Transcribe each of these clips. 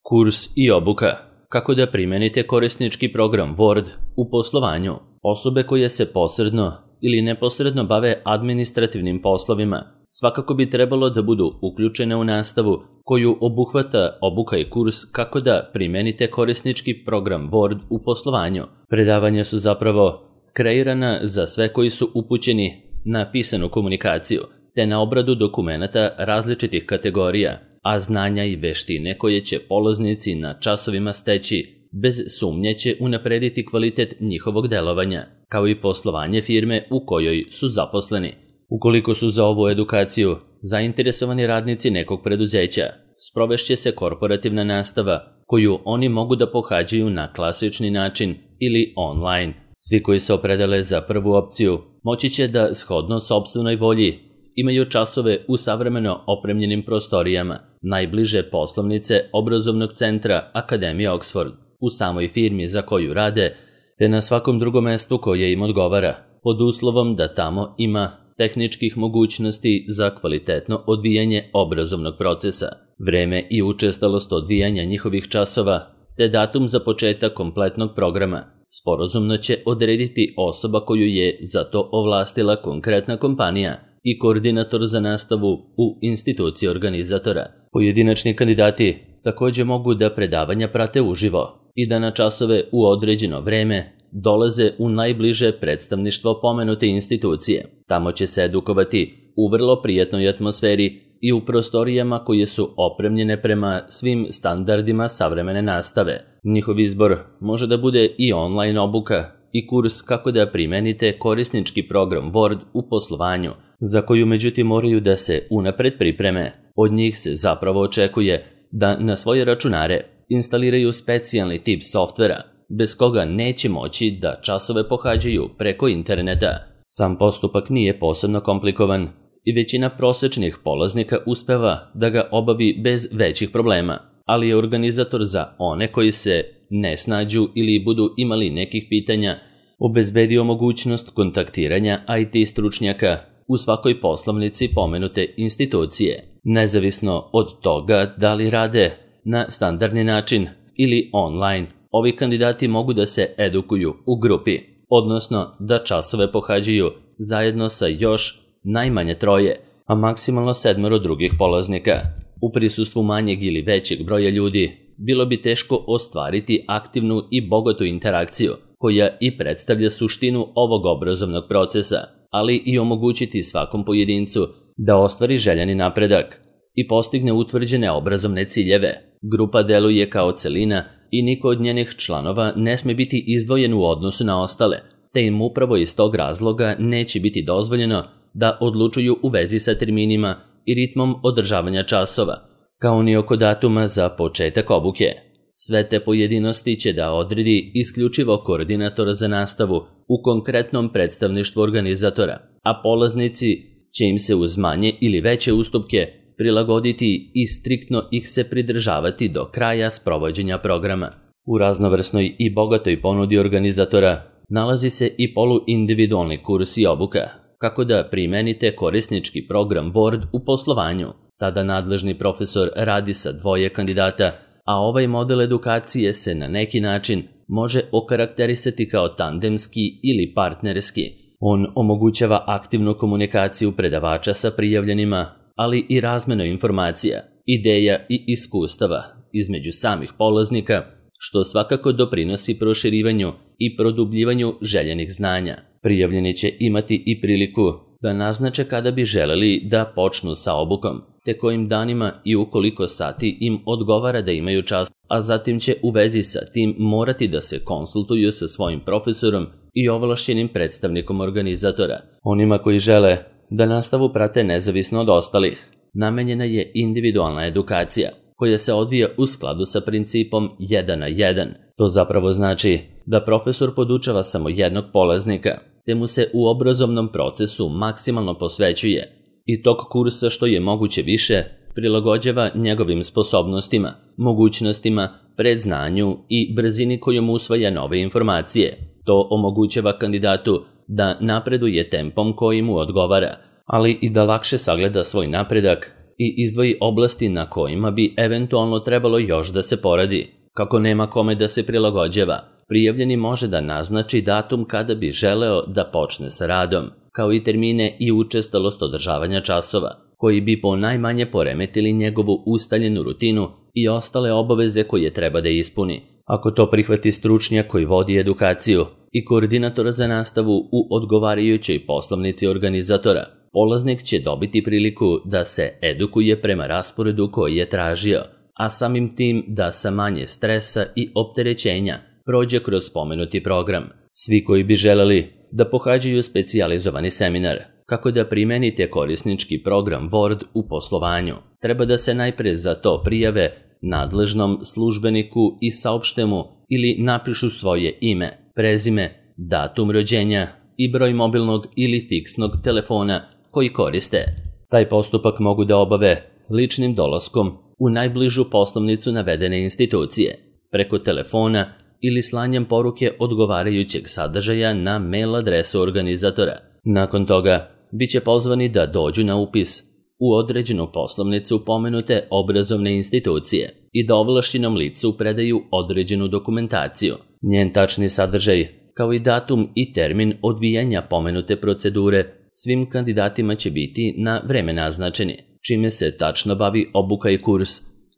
Kurs i obuka. Kako da primenite korisnički program Word u poslovanju. Osobe koje se posredno ili neposredno bave administrativnim poslovima svakako bi trebalo da budu uključene u nastavu koju obuhvata obuka i kurs kako da primenite korisnički program Word u poslovanju. Predavanja su zapravo kreirana za sve koji su upućeni na pisanu komunikaciju te na obradu dokumenata različitih kategorija, a znanja i veštine koje će polaznici na časovima steći bez sumnje će unaprediti kvalitet njihovog delovanja, kao i poslovanje firme u kojoj su zaposleni. Ukoliko su za ovu edukaciju zainteresovani radnici nekog preduzeća, sprovešće se korporativna nastava koju oni mogu da pohađaju na klasični način ili online. Svi koji se opredele za prvu opciju moći će da shodno sopstvenoj volji imaju časove u savremeno opremljenim prostorijama najbliže poslovnice obrazovnog centra Akademije Oxford u samoj firmi za koju rade, te na svakom drugom mestu koje im odgovara, pod uslovom da tamo ima tehničkih mogućnosti za kvalitetno odvijanje obrazovnog procesa, vreme i učestalost odvijanja njihovih časova, te datum za početak kompletnog programa sporazumno će odrediti osoba koju je za to ovlastila konkretna kompanija i koordinator za nastavu u instituciji organizatora. Pojedinačni kandidati također mogu da predavanja prate uživo i da na časove u određeno vreme dolaze u najbliže predstavništvo pomenute institucije. Tamo će se edukovati u vrlo prijatnoj atmosferi i u prostorijama koje su opremljene prema svim standardima savremene nastave. Njihov izbor može da bude i online obuka i kurs kako da primenite korisnički program Word u poslovanju, za koju međutim moraju da se unapred pripreme. Od njih se zapravo očekuje da na svoje računare instaliraju specijalni tip softvera, bez koga neće moći da časove pohađaju preko interneta. Sam postupak nije posebno komplikovan i većina prosečnih polaznika uspeva da ga obavi bez većih problema, ali je organizator za one koji se ne snađu ili budu imali nekih pitanja obezbedio mogućnost kontaktiranja IT stručnjaka u svakoj poslovnici pomenute institucije, nezavisno od toga da li rade na standardni način ili online. Ovi kandidati mogu da se edukuju u grupi, odnosno da časove pohađaju zajedno sa još najmanje 3, a maksimalno 7 drugih polaznika. U prisustvu manjeg ili većeg broja ljudi bilo bi teško ostvariti aktivnu i bogatu interakciju koja i predstavlja suštinu ovog obrazovnog procesa, ali i omogućiti svakom pojedincu da ostvari željeni napredak i postigne utvrđene obrazovne ciljeve. Grupa deluje kao celina i niko od njenih članova ne sme biti izdvojen u odnosu na ostale, te im upravo iz tog razloga neće biti dozvoljeno da odlučuju u vezi sa terminima i ritmom održavanja časova, kao ni oko datuma za početak obuke. Sve te pojedinosti će da odredi isključivo koordinator za nastavu u konkretnom predstavništvu organizatora, a polaznici će im se uz manje ili veće ustupke prilagoditi i striktno ih se pridržavati do kraja sprovođenja programa. U raznovrsnoj i bogatoj ponudi organizatora nalazi se i poluindividualni kurs i obuka, kako da primenite korisnički program Word u poslovanju. Tada nadležni profesor radi sa 2 kandidata, a ovaj model edukacije se na neki način može okarakterisati kao tandemski ili partnerski. On omogućava aktivnu komunikaciju predavača sa prijavljenima, ali i razmenu informacija, ideja i iskustava između samih polaznika, što svakako doprinosi proširivanju i produbljivanju željenih znanja. Prijavljeni će imati i priliku da naznače kada bi želeli da počnu sa obukom, te kojim danima i u koliko sati im odgovara da imaju čas, a zatim će u vezi sa tim morati da se konsultuju sa svojim profesorom i ovlašćenim predstavnikom organizatora. Onima koji žele da nastavu prate nezavisno od ostalih, namenjena je individualna edukacija, koja se odvija u skladu sa principom 1 na 1. To zapravo znači da profesor podučava samo jednog polaznika, te mu se u obrazovnom procesu maksimalno posvećuje i tog kursa što je moguće više prilagođava njegovim sposobnostima, mogućnostima, predznanju i brzini kojom usvaja nove informacije. To omogućava kandidatu da napreduje tempom koji mu odgovara, ali i da lakše sagleda svoj napredak i izdvoji oblasti na kojima bi eventualno trebalo još da se poradi. Kako nema kome da se prilagođava, prijavljeni može da naznači datum kada bi želeo da počne sa radom, kao i termine i učestalost održavanja časova, koji bi po najmanje poremetili njegovu ustaljenu rutinu i ostale obaveze koje treba da ispuni. Ako to prihvati stručnjak koji vodi edukaciju i koordinator za nastavu u odgovarajućoj poslovnici organizatora, polaznik će dobiti priliku da se edukuje prema rasporedu koji je tražio, a samim tim da sa manje stresa i opterećenja prođe kroz spomenuti program. Svi koji bi želeli da pohađaju specijalizovani seminar kako da primenite korisnički program Word u poslovanju, treba da se najpre za to prijave nadležnom službeniku i saopšte mu ili napišu svoje ime, prezime, datum rođenja i broj mobilnog ili fiksnog telefona koji koriste. Taj postupak mogu da obave ličnim dolaskom u najbližu poslovnicu navedene institucije, preko telefona ili slanjem poruke odgovarajućeg sadržaja na mail adresu organizatora. Nakon toga, bit će pozvani da dođu na upis u određenu poslovnicu pomenute obrazovne institucije i da ovlašćenom licu predaju određenu dokumentaciju. Njen tačni sadržaj, kao i datum i termin odvijanja pomenute procedure, svim kandidatima će biti na vreme naznačeni, čime se tačno bavi obuka i kurs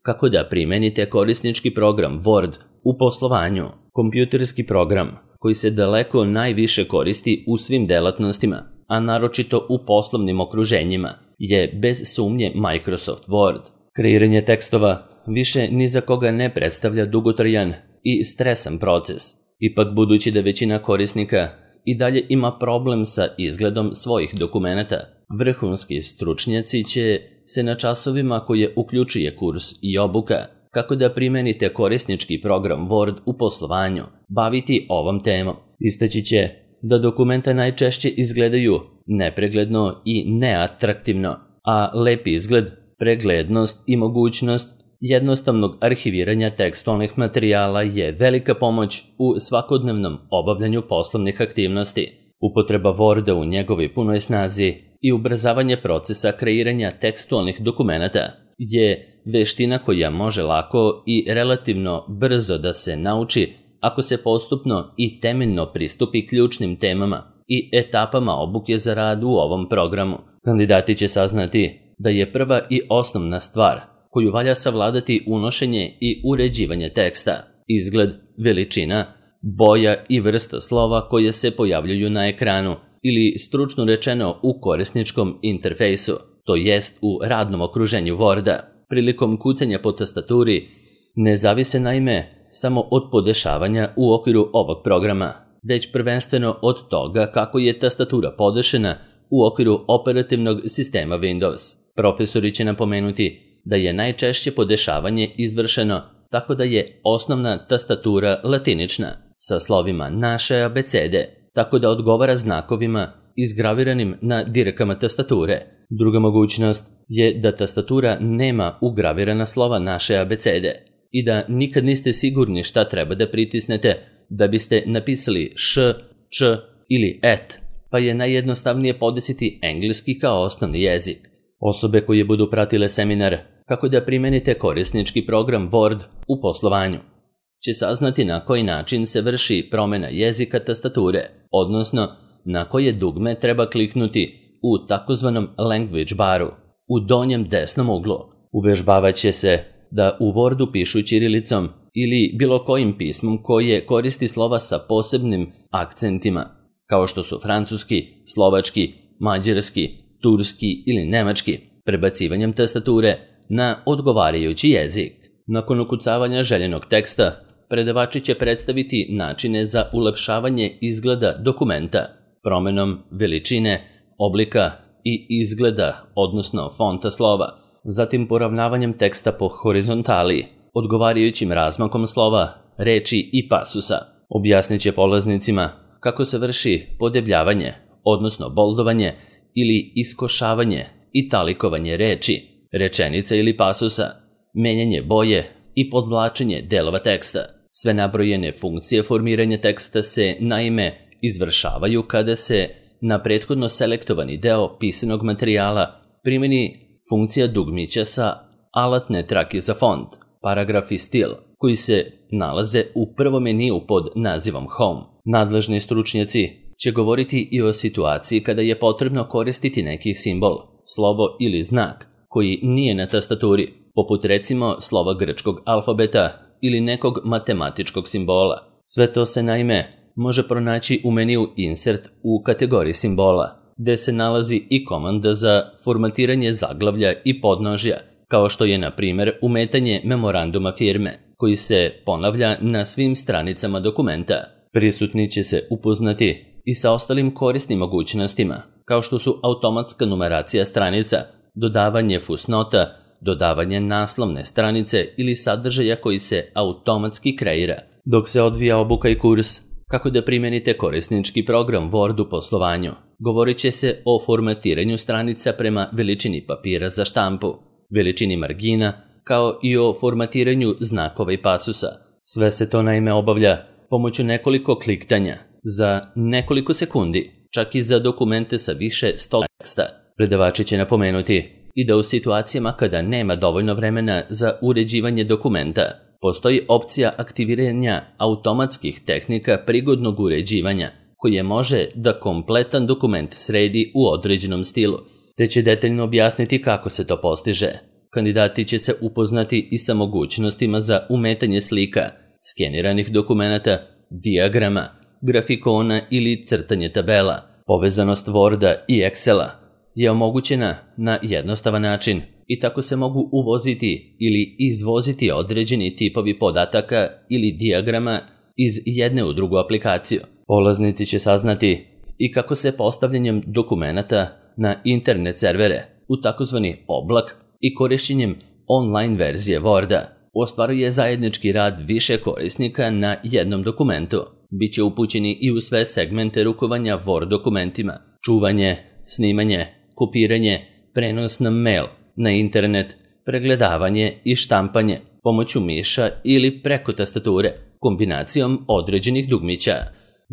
kako da primenite korisnički program Word u poslovanju. Kompjuterski program, koji se daleko najviše koristi u svim delatnostima, a naročito u poslovnim okruženjima, je bez sumnje Microsoft Word. Kreiranje tekstova više ni za koga ne predstavlja dugotrajan i stresan proces. Ipak, budući da većina korisnika i dalje ima problem sa izgledom svojih dokumenata, vrhunski stručnjaci će se na časovima koje uključuje kurs i obuka kako da primenite korisnički program Word u poslovanju baviti ovom temom. Istaći će da dokumenta najčešće izgledaju nepregledno i neatraktivno, a lepi izgled, preglednost i mogućnost jednostavnog arhiviranja tekstualnih materijala je velika pomoć u svakodnevnom obavljanju poslovnih aktivnosti. Upotreba Worda u njegovoj punoj snazi i ubrzavanje procesa kreiranja tekstualnih dokumenata je veština koja može lako i relativno brzo da se nauči ako se postupno i temeljno pristupi ključnim temama i etapama obuke za rad u ovom programu. Kandidati će saznati da je prva i osnovna stvar koju valja savladati unošenje i uređivanje teksta, izgled, veličina, boja i vrsta slova koje se pojavljuju na ekranu ili stručno rečeno u korisničkom interfejsu, to jest u radnom okruženju Worda. Prilikom kucanja po tastaturi ne zavise naime samo od podešavanja u okviru ovog programa, već prvenstveno od toga kako je tastatura podešena u okviru operativnog sistema Windows. Profesori će napomenuti da je najčešće podešavanje izvršeno tako da je osnovna tastatura latinična, sa slovima naše abecede, tako da odgovara znakovima izgraviranim na direkama tastature. Druga mogućnost je da tastatura nema ugravirana slova naše abecede i da nikad niste sigurni šta treba da pritisnete da biste napisali š, č ili et, pa je najjednostavnije podesiti engleski kao osnovni jezik. Osobe koje budu pratile seminar kako da primenite korisnički program Word u poslovanju će saznati na koji način se vrši promjena jezika tastature, odnosno na koje dugme treba kliknuti u takozvanom language baru u donjem desnom uglu. Uvežbavat će se da u Wordu pišu ćirilicom ili bilo kojim pismom koje koristi slova sa posebnim akcentima, kao što su francuski, slovački, mađarski, turski ili nemački, prebacivanjem tastature na odgovarajući jezik. Nakon ukucavanja željenog teksta, predavači će predstaviti načine za ulepšavanje izgleda dokumenta, promenom veličine, oblika i izgleda, odnosno fonta slova, zatim poravnavanjem teksta po horizontali, odgovarajućim razmakom slova, reči i pasusa. Objasnit će polaznicima kako se vrši podebljavanje, odnosno boldovanje ili iskošavanje i talikovanje reči, rečenica ili pasusa, menjanje boje i podvlačenje delova teksta. Sve nabrojene funkcije formiranja teksta se naime izvršavaju kada se na prethodno selektovani deo pisanog materijala primeni funkcija dugmića sa alatne trake za font, paragraf i stil, koji se nalaze u prvom meniju pod nazivom Home. Nadležni stručnjaci će govoriti i o situaciji kada je potrebno koristiti neki simbol, slovo ili znak koji nije na tastaturi, poput recimo slova grčkog alfabeta ili nekog matematičkog simbola. Sve to se naime može pronaći u meniju Insert u kategoriji simbola, gde se nalazi i komanda za formatiranje zaglavlja i podnožja, kao što je na primjer umetanje memoranduma firme, koji se ponavlja na svim stranicama dokumenta. Prisutni će se upoznati i sa ostalim korisnim mogućnostima, kao što su automatska numeracija stranica, dodavanje fusnota, dodavanje naslovne stranice ili sadržaja koji se automatski kreira. Dok se odvija obuka i kurs kako da primenite korisnički program Word u poslovanju, govorit će se o formatiranju stranica prema veličini papira za štampu, veličini margina, kao i o formatiranju znakova i pasusa. Sve se to naime obavlja pomoću nekoliko kliktanja za nekoliko sekundi, čak i za dokumente sa više 100 teksta. Predavači će napomenuti i da u situacijama kada nema dovoljno vremena za uređivanje dokumenta, postoji opcija aktiviranja automatskih tehnika prigodnog uređivanja, koje može da kompletan dokument sredi u određenom stilu, te će detaljno objasniti kako se to postiže. Kandidati će se upoznati i sa mogućnostima za umetanje slika, skeniranih dokumenata, dijagrama, grafikona ili crtanje tabela. Povezanost Worda i Excela je omogućena na jednostavan način i tako se mogu uvoziti ili izvoziti određeni tipovi podataka ili dijagrama iz jedne u drugu aplikaciju. Polaznici će saznati i kako se postavljanjem dokumenata na internet servere u takozvani oblak i korišćenjem online verzije Worda ostvaruje zajednički rad više korisnika na jednom dokumentu. Biće upućeni i u sve segmente rukovanja Word dokumentima, čuvanje, snimanje, kopiranje, prenos na mail, na internet, pregledavanje i štampanje pomoću miša ili preko tastature, kombinacijom određenih dugmića.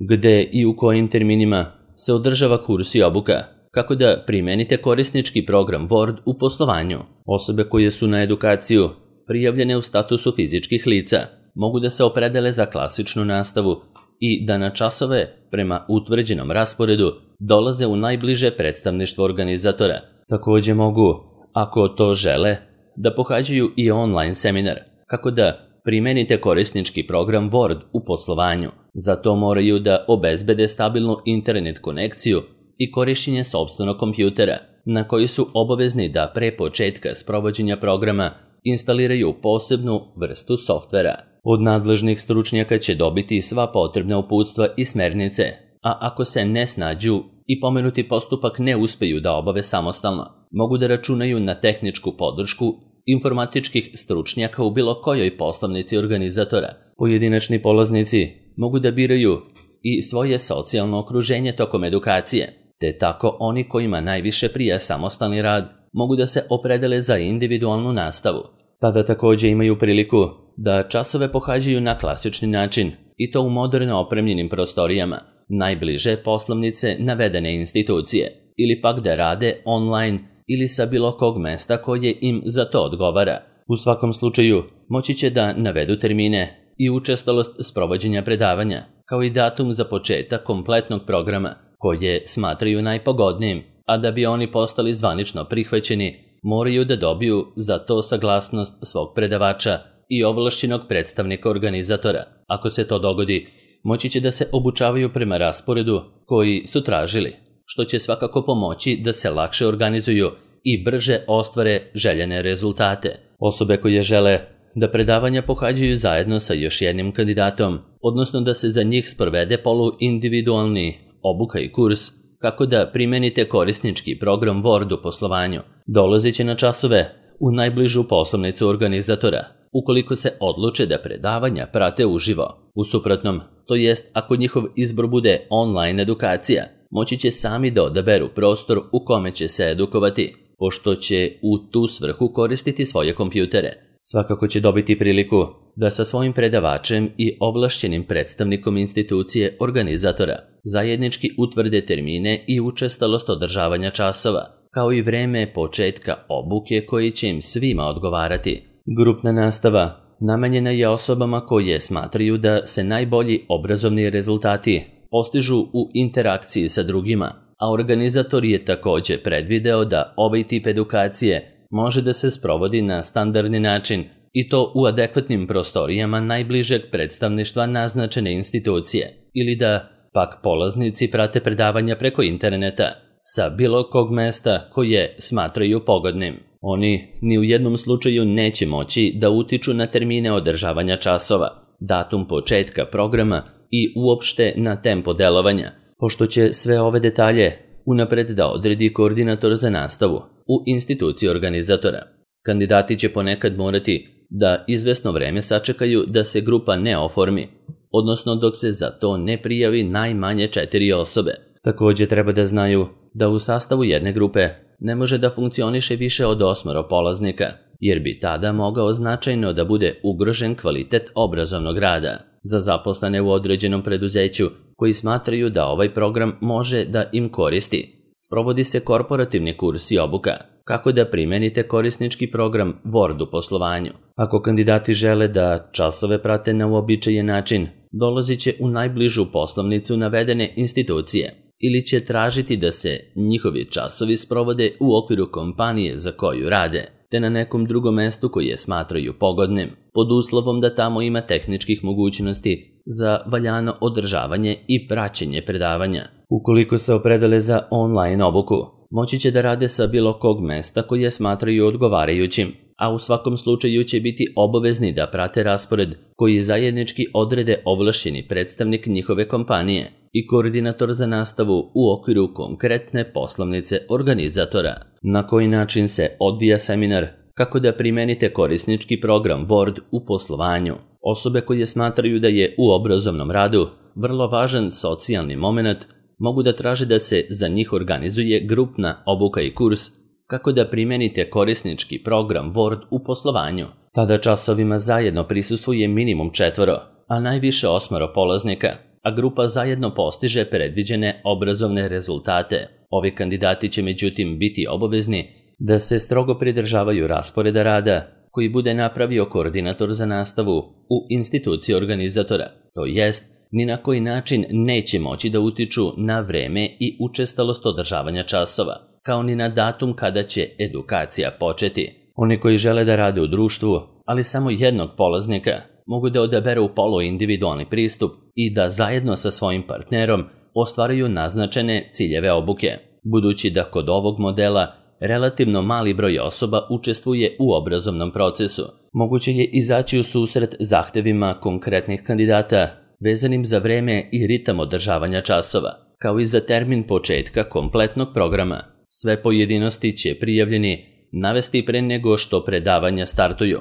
Gde i u kojim terminima se održava kurs i obuka, kako da primenite korisnički program Word u poslovanju. Osobe koje su na edukaciju prijavljene u statusu fizičkih lica mogu da se opredele za klasičnu nastavu i da na časove prema utvrđenom rasporedu dolaze u najbliže predstavništvo organizatora. Također mogu, ako to žele, da pohađaju i online seminar, kako da primenite korisnički program Word u poslovanju. Za to moraju da obezbede stabilnu internet konekciju i korišćenje sopstvenog kompjutera, na koji su obavezni da pre početka sprovođenja programa instaliraju posebnu vrstu softvera. Od nadležnih stručnjaka će dobiti sva potrebna uputstva i smernice, a ako se ne snađu i pomenuti postupak ne uspeju da obave samostalno, mogu da računaju na tehničku podršku informatičkih stručnjaka u bilo kojoj poslovnici organizatora. Pojedinačni polaznici mogu da biraju i svoje socijalno okruženje tokom edukacije, te tako oni kojima najviše prija samostalni rad mogu da se opredele za individualnu nastavu. Tada također imaju priliku da časove pohađaju na klasični način i to u moderno opremljenim prostorijama, najbliže poslovnice navedene institucije, ili pak da rade online ili sa bilo kog mesta koje im za to odgovara. U svakom slučaju moći će da navedu termine i učestalost sprovođenja predavanja, kao i datum za početak kompletnog programa, koje smatraju najpogodnijim, a da bi oni postali zvanično prihvaćeni, moraju da dobiju za to saglasnost svog predavača i ovlašćenog predstavnika organizatora. Ako se to dogodi, moći će da se obučavaju prema rasporedu koji su tražili, što će svakako pomoći da se lakše organizuju i brže ostvare željene rezultate. Osobe koje žele da predavanja pohađaju zajedno sa još jednim kandidatom, odnosno da se za njih sprovede poluindividualni obuka i kurs, kako da primenite korisnički program Word u poslovanju, dolazit će na časove u najbližu poslovnicu organizatora, ukoliko se odluče da predavanja prate uživo. U suprotnom, to jest ako njihov izbor bude online edukacija, moći će sami da odaberu prostor u kome će se edukovati, pošto će u tu svrhu koristiti svoje kompjutere. Svakako će dobiti priliku da sa svojim predavačem i ovlašćenim predstavnikom institucije organizatora zajednički utvrde termine i učestalost održavanja časova, kao i vreme početka obuke koji će im svima odgovarati. Grupna nastava namenjena je osobama koje smatraju da se najbolji obrazovni rezultati postižu u interakciji sa drugima, a organizator je također predvideo da ovaj tip edukacije može da se sprovodi na standardni način i to u adekvatnim prostorijama najbližeg predstavništva naznačene institucije ili da pak polaznici prate predavanja preko interneta sa bilo kog mesta koje smatraju pogodnim. Oni ni u jednom slučaju neće moći da utiču na termine održavanja časova, datum početka programa i uopšte na tempo delovanja, pošto će sve ove detalje unapred da odredi koordinator za nastavu u instituciji organizatora. Kandidati će ponekad morati da izvesno vreme sačekaju da se grupa ne oformi, odnosno dok se za to ne prijavi najmanje 4 osobe. Također treba da znaju da u sastavu jedne grupe ne može da funkcioniše više od 8 polaznika, jer bi tada mogao značajno da bude ugrožen kvalitet obrazovnog rada. Za zaposlene u određenom preduzeću koji smatraju da ovaj program može da im koristi, sprovodi se korporativni kurs i obuka, kako da primenite korisnički program Word u poslovanju. Ako kandidati žele da časove prate na uobičajen način, dolazit će u najbližu poslovnicu navedene institucije ili će tražiti da se njihovi časovi sprovode u okviru kompanije za koju rade, te na nekom drugom mestu koje smatraju pogodnim, pod uslovom da tamo ima tehničkih mogućnosti za valjano održavanje i praćenje predavanja. Ukoliko se opredele za online obuku, moći će da rade sa bilo kog mesta koje smatraju odgovarajućim, a u svakom slučaju će biti obavezni da prate raspored koji zajednički odrede ovlašćeni predstavnik njihove kompanije i koordinator za nastavu u okviru konkretne poslovnice organizatora. Na koji način se odvija seminar kako da primenite korisnički program Word u poslovanju? Osobe koje smatraju da je u obrazovnom radu vrlo važan socijalni moment mogu da traže da se za njih organizuje grupna obuka i kurs kako da primenite korisnički program Word u poslovanju. Tada časovima zajedno prisustvuje minimum 4, a najviše 8 polaznika, a grupa zajedno postiže predviđene obrazovne rezultate. Ovi kandidati će međutim biti obavezni da se strogo pridržavaju rasporeda rada koji bude napravio koordinator za nastavu u instituciji organizatora, to jest ni na koji način neće moći da utiču na vreme i učestalost održavanja časova, kao ni na datum kada će edukacija početi. Oni koji žele da rade u društvu, ali samo jednog polaznika, mogu da odaberu poluindividualni pristup i da zajedno sa svojim partnerom ostvaruju naznačene ciljeve obuke. Budući da kod ovog modela relativno mali broj osoba učestvuje u obrazovnom procesu, moguće je izaći u susret zahtevima konkretnih kandidata vezanim za vreme i ritam održavanja časova, kao i za termin početka kompletnog programa. Sve pojedinosti će prijavljeni navesti pre nego što predavanja startuju,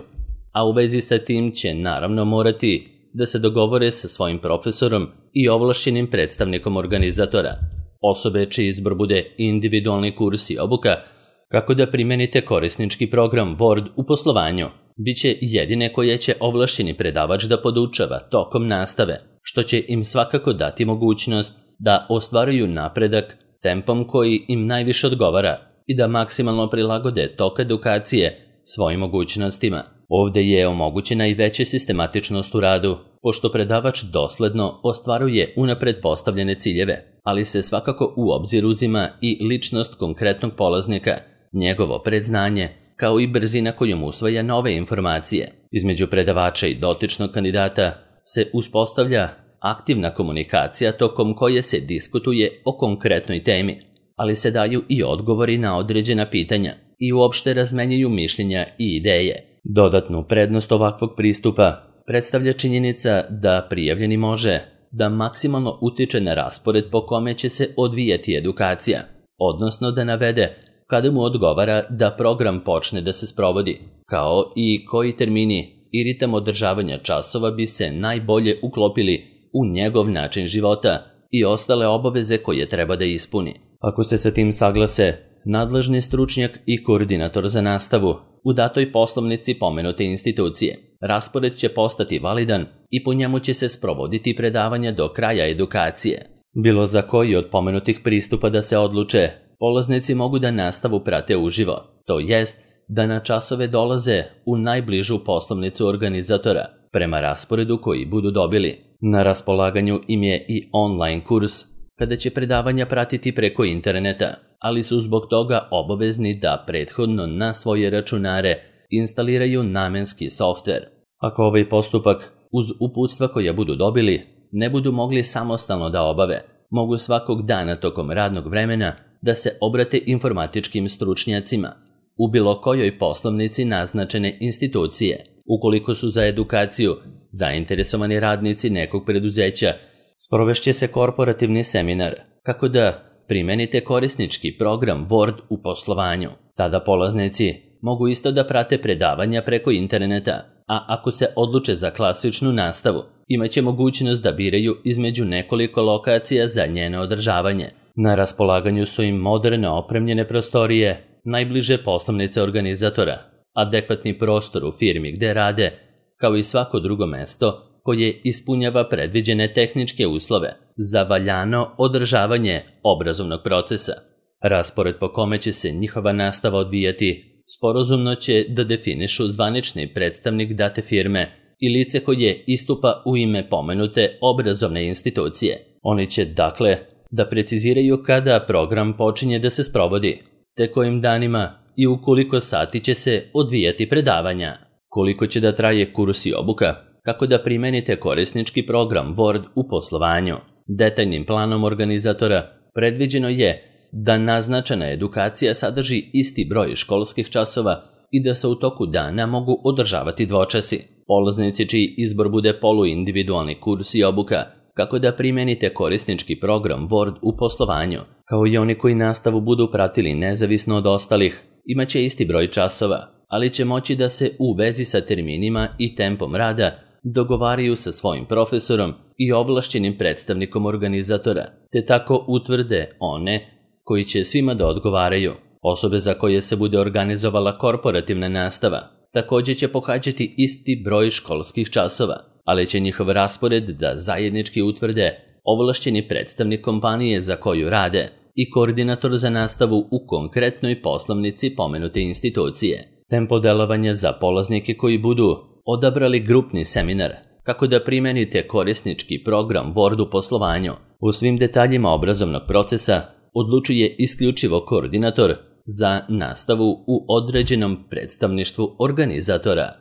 a u vezi sa tim će naravno morati da se dogovore sa svojim profesorom i ovlašćenim predstavnikom organizatora. Osobe čiji izbor bude individualni kurs i obuka kako da primenite korisnički program Word u poslovanju, bit će jedine koje će ovlašćeni predavač da podučava tokom nastave, što će im svakako dati mogućnost da ostvaruju napredak tempom koji im najviše odgovara i da maksimalno prilagode tok edukacije svojim mogućnostima. Ovde je omogućena i veća sistematičnost u radu, pošto predavač dosledno ostvaruje unapred postavljene ciljeve, ali se svakako u obzir uzima i ličnost konkretnog polaznika, njegovo predznanje, kao i brzina kojom usvaja nove informacije. Između predavača i dotičnog kandidata se uspostavlja aktivna komunikacija tokom koje se diskutuje o konkretnoj temi, ali se daju i odgovori na određena pitanja i uopšte razmenjuju mišljenja i ideje. Dodatnu prednost ovakvog pristupa predstavlja činjenica da prijavljeni može da maksimalno utiče na raspored po kome će se odvijati edukacija, odnosno da navede kada mu odgovara da program počne da se sprovodi, kao i koji termini i ritam održavanja časova bi se najbolje uklopili u njegov način života i ostale obaveze koje treba da ispuni. Ako se sa tim saglase, nadležni stručnjak i koordinator za nastavu u datoj poslovnici pomenute institucije, raspored će postati validan i po njemu će se sprovoditi predavanja do kraja edukacije. Bilo za koji od pomenutih pristupa da se odluče, polaznici mogu da nastavu prate uživo, to jest da na časove dolaze u najbližu poslovnicu organizatora, prema rasporedu koji budu dobili. Na raspolaganju im je i online kurs, kada će predavanja pratiti preko interneta, ali su zbog toga obavezni da prethodno na svoje računare instaliraju namenski softver. Ako ovaj postupak, uz uputstva koja budu dobili, ne budu mogli samostalno da obave, mogu svakog dana tokom radnog vremena da se obrate informatičkim stručnjacima u bilo kojoj poslovnici naznačene institucije. Ukoliko su za edukaciju zainteresovani radnici nekog preduzeća, sprovešće se korporativni seminar kako da primenite korisnički program Word u poslovanju. Tada polaznici mogu isto da prate predavanja preko interneta, a ako se odluče za klasičnu nastavu, imaće mogućnost da biraju između nekoliko lokacija za njeno održavanje. Na raspolaganju su im moderno opremljene prostorije, najbliže poslovnice organizatora, adekvatni prostor u firmi gde rade, kao i svako drugo mesto koje ispunjava predviđene tehničke uslove za valjano održavanje obrazovnog procesa. Raspored po kome će se njihova nastava odvijati sporazumno će da definišu zvanični predstavnik date firme i lice koje istupa u ime pomenute obrazovne institucije. Oni će, dakle, da preciziraju kada program počinje da se sprovodi, te kojim danima i u koliko sati će se odvijati predavanja, koliko će da traje kurs i obuka, kako da primenite korisnički program Word u poslovanju. Detaljnim planom organizatora predviđeno je da naznačena edukacija sadrži isti broj školskih časova i da se u toku dana mogu održavati dvočasi. Polaznici čiji izbor bude poluindividualni kurs i obuka, kako da primenite korisnički program Word u poslovanju, kao i oni koji nastavu budu pratili nezavisno od ostalih, imaće isti broj časova, ali će moći da se u vezi sa terminima i tempom rada dogovaraju sa svojim profesorom i ovlašćenim predstavnikom organizatora, te tako utvrde one koji će svima da odgovaraju. Osobe za koje se bude organizovala korporativna nastava takođe će pohađati isti broj školskih časova, ali će njihov raspored da zajednički utvrde ovlašćeni predstavnik kompanije za koju rade i koordinator za nastavu u konkretnoj poslovnici pomenute institucije. Tempo delovanja za polaznike koji budu odabrali grupni seminar, kako da primenite korisnički program Word u poslovanju. U svim detaljima obrazovnog procesa odlučuje isključivo koordinator za nastavu u određenom predstavništvu organizatora.